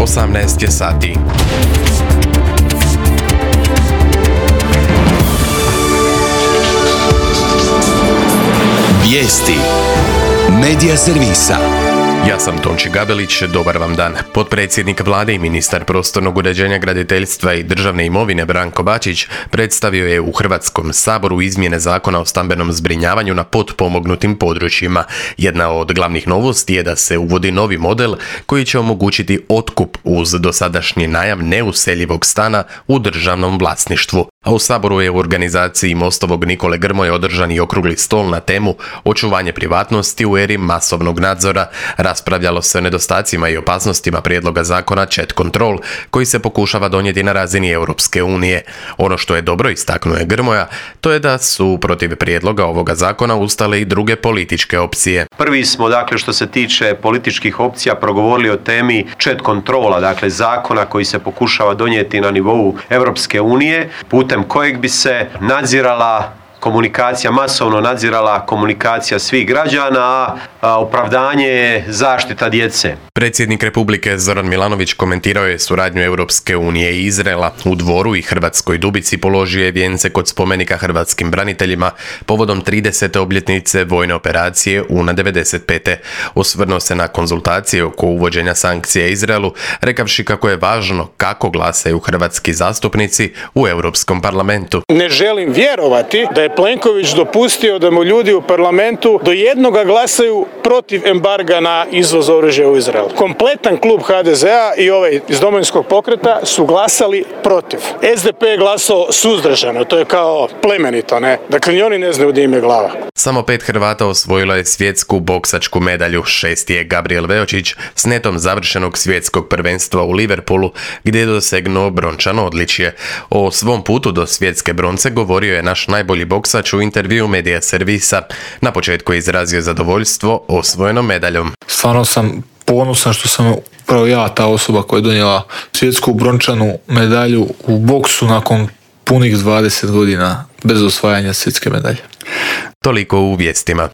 18 je sati. Vijesti Medija servisa. Ja sam Tonči Gabelić, dobar vam dan. Potpredsjednik vlade i ministar prostornog uređenja, graditeljstva i državne imovine Branko Bačić predstavio je u Hrvatskom saboru izmjene Zakona o stambenom zbrinjavanju na potpomognutim područjima. Jedna od glavnih novosti je da se uvodi novi model koji će omogućiti otkup uz dosadašnji najam neuseljivog stana u državnom vlasništvu. A u saboru je u organizaciji Mostovog Nikole Grmoje održan i okrugli stol na temu očuvanje privatnosti u eri masovnog nadzora. Raspravljalo se o nedostacima i opasnostima prijedloga zakona Chat Control koji se pokušava donijeti na razini Europske unije. Ono što je dobro, istaknuo je Grmoja, to je da su protiv prijedloga ovoga zakona ustale i druge političke opcije. Prvi smo, što se tiče političkih opcija progovorili o temi Chat Controla, zakona koji se pokušava donijeti na nivou Europske unije, putem kojeg bi se nadzirala komunikacija, masovno nadzirala komunikacija svih građana, a opravdanje je zaštita djece. Predsjednik Republike Zoran Milanović komentirao je suradnju Europske unije i Izraela. U Dvoru i Hrvatskoj Dubici položio je vijence kod spomenika hrvatskim braniteljima povodom 30. obljetnice vojne operacije UNA 95. Osvrnuo se na konzultacije oko uvođenja sankcija Izraelu, rekavši kako je važno kako glasaju hrvatski zastupnici u Europskom parlamentu. Ne želim vjerovati da je Plenković dopustio da mu ljudi u parlamentu do jednoga glasaju protiv embarga na izvoz oružja u Izrael. Kompletan klub HDZ-a i ovaj iz Domovinskog pokreta su glasali protiv. SDP je glasao suzdržano, to je kao plemenito, ne? Dakle, ni oni ne znaju gdje im je glava. Samo 5 Hrvata osvojilo je svjetsku boksačku medalju. 6. je Gabriel Veočić s netom završenog svjetskog prvenstva u Liverpoolu, gdje je dosegnuo brončano odličje. O svom putu do svjetske bronce govorio je naš najbolji boksač u intervjuu Medija servisa. Na početku je izrazio zadovoljstvo osvojenom medaljom. Stvarno sam ponosan što sam upravo ja ta osoba koja je donijela svjetsku brončanu medalju u boksu nakon punih 20 godina bez osvajanja svjetske medalje. Toliko u vijestima.